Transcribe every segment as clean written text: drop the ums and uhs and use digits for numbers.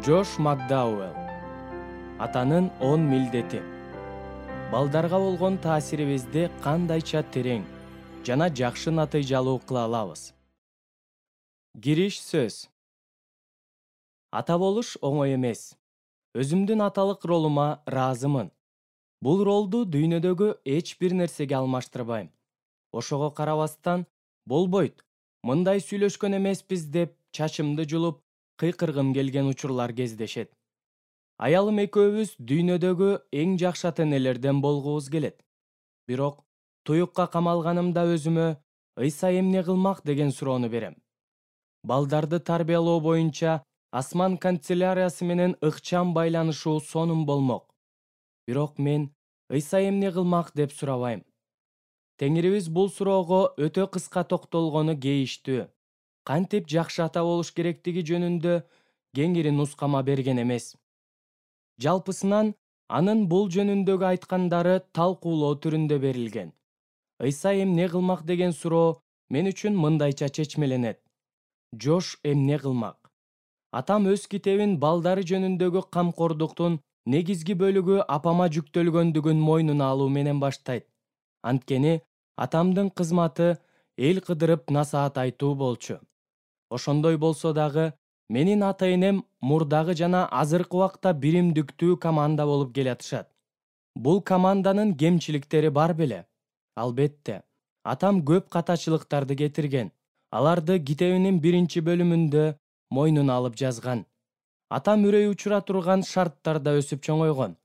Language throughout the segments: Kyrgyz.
Джош Макдауэлл. Атанын 10 милдети. Балдарга болгон таасирибизди кандайча терең жана жакшы натыйжалуу кыла алабыз? Кириш сөз. Ата болуш оңой эмес. Өзүмдүн аталык ролума ыраазымын. Бул ролду дүйнөдөгү эч бир нерсеге алмаштырбайм. Ошого карабастан, болбойт, мындай сүйлөшкөн эмеспиз деп чачымды жулуп, кыйкыргым келген учурлар кездешет. Аялым экөөбүз дүйнөдөгү эң жакшы ата-энелерден болгубуз келет. Бирок туюкка камалганымда өзүмө Ыйса эмне кылмак деген суроону берем. Балдарды тарбиялоо боюнча асман канцеляриясы менен ыкчам байланышуу сонун болмок. Бирок мен Ыйса эмне кылмак деп сурабайм. Теңирибиз бул суроого өтө кыска токтолгону кейиштүү. Кантип жакшы ата болуш керектиги жөнүндө кеңири нускама берген эмес. Жалпысынан анын бул жөнүндөгү айткандары талкуулоо түрүндө берилген. Ыйса эмне кылмак деген суроо мен үчүн мындайча чечмеленет. Жош эмне кылмак? Атам өз китебин балдары жөнүндөгү камкордуктун негизги бөлүгү апама жүктөлгөндүгүн мойнуна алуу менен баштайт. Анткени атамдын кызматы эл кыдырып насаат айтуу болчу. Ошондой болсо дагы менин ата-энем мурдагы жана азыркы убакта биримдиктүү команда болуп келатышат. Бул команданын кемчиликтери бар беле? Албетте. Атам көп катачылыктарды кетирген. Аларды китебинин 1-бөлүмүндө мойнуна алып жазган. Атам үрөй учура турган шарттарда өсүп чоңойгон.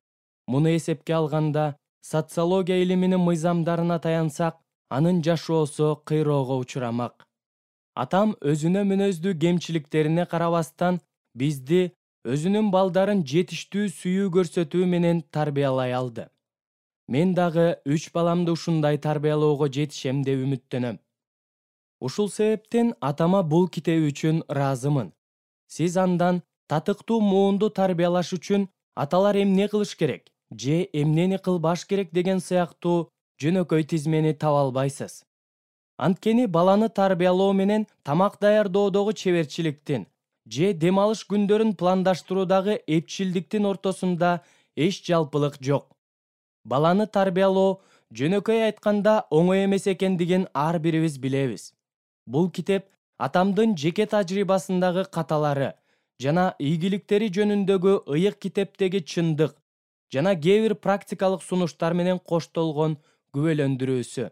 Муну эсепке алганда, социология илиминин мыйзамдарына таянсак, анын жашоосу кыйроого учурамак. Атам өзүнө мүнөздүү кемчиликтерине карабастан бизди өзүнүн балдарын жетиштүү сүйүү көрсөтүү менен тарбиялай алды. Мен дагы 3 баламды ушундай тарбиялоого жетишем деп үмүттөнөм. Ушул себептен атама бул китеби үчүн ыраазымын. Сиз андан татыктуу муунду тарбиялаш үчүн аталар эмне кылыш керек же эмнени кылбаш керек деген сыяктуу жөнөкөй тизмени таба албайсыз. Анткени баланы тарбиялоо менен тамак даярдоодогу чеберчиликтин же дем алыш күндөрүн пландаштыруудагы эпчилдиктин ортосунда эч жалпылык жок. Баланы тарбиялоо жөнөкөй айтканда оңой эмес экендигин ар бирибиз билебиз. Бул китеп атамдын жеке тажрыйбасындагы каталары жана ийгиликтери жөнүндөгү ыйык китептеги чындык жана кээ бир практикалык сунуштар менен коштолгон күбөлөндүрүүсү.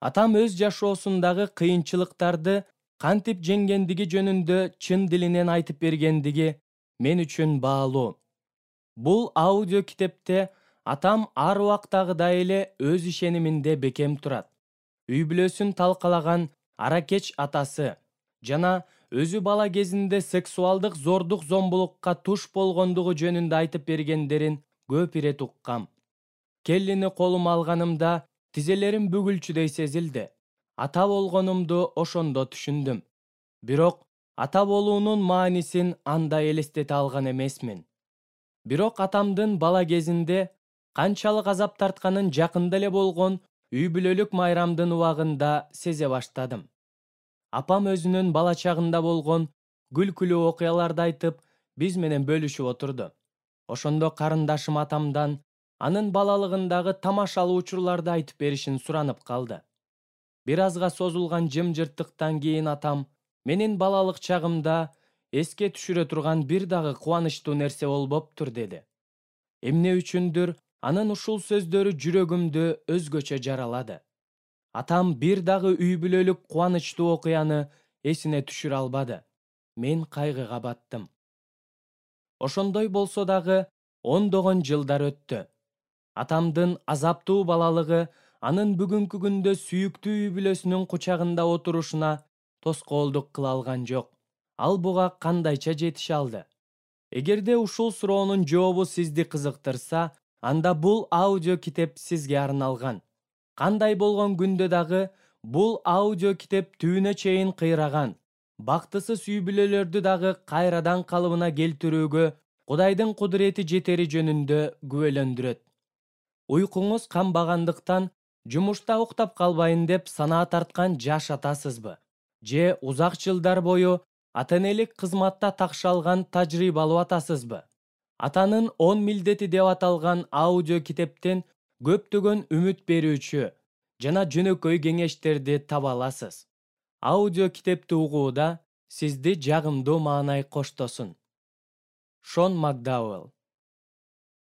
Атам өз жашоосундагы кыйынчылыктарды кантип жеңгендиги жөнүндө чын дилинен айтып бергендиги мен үчүн баалуу. Бул аудио китепте атам ар убактагыдай эле өз ишениминде бекем турат. Үй бүлөсүн талкалаган аракеч атасы жана өзү бала кезинде сексуалдык зордук-зомбулукка туш болгондугу жөнүндө айтып бергендерин көп ирет уккам. Келлини колума алганымда тизелерим бүгүлчүдөй сезилди. Ата болгонумду ошондо түшүндүм. Бирок ата болуунун маанисин анда элестете алган эмесмин. Бирок атамдын бала кезинде канчалык азап тартканын жакында эле болгон үй бүлөлүк майрамдын убагында сезе баштадым. Апам өзүнүн бала чагында болгон күлкүлүү окуяларды айтып, биз менен бөлүшүп отурду. Ошондо карындашым атамдан анын балалыгындагы тамашалуу учурларды айтып беришин суранып калды. Бир азга созулган жымжырттыктан кийин атам менин балалык чагымда эске түшүрө турган бир дагы кубанычтуу нерсе болбоптур деди. Эмне үчүндүр анын ушул сөздөрү жүрөгүмдү өзгөчө жаралады. Атам бир дагы үй бүлөлүк кубанычтуу окуяны эсине түшүрө албады. Мен кайгыга баттым. Ошондой болсо дагы ондогон жылдар өттү. Атамдын азаптуу балалыгы анын бүгүнкү күндө сүйүктүү үй бүлөсүнүн кучагында отурушуна тоскоолдук кыла алган жок. Ал буга кандайча жетише алды? Эгерде ушул суроонун жообу сизди кызыктырса, анда бул аудио китеп сизге арналган. Кандай болгон күндө дагы бул аудио китеп түбүнө чейин кыйраган, бактысыз үй бүлөлөрдү дагы кайрадан калыбына келтирүүгө Кудайдын кудурети жетери жөнүндө күбөлөндүрөт. Уйкуңуз канбагандыктан жумушта уктап калбайын деп санаа тарткан жаш атасызбы? Же узак жылдар бою ата энелик кызматта такшалган тажрыйбалуу атасызбы? Атанын 10 милдети деп аталган аудио китептен көптөгөн үмүт берүүчү жана жөнөкөй кеңештерди таба аласыз. Аудио китепти угууда сизди жагымдуу маанай коштосун. Шон Макдауэлл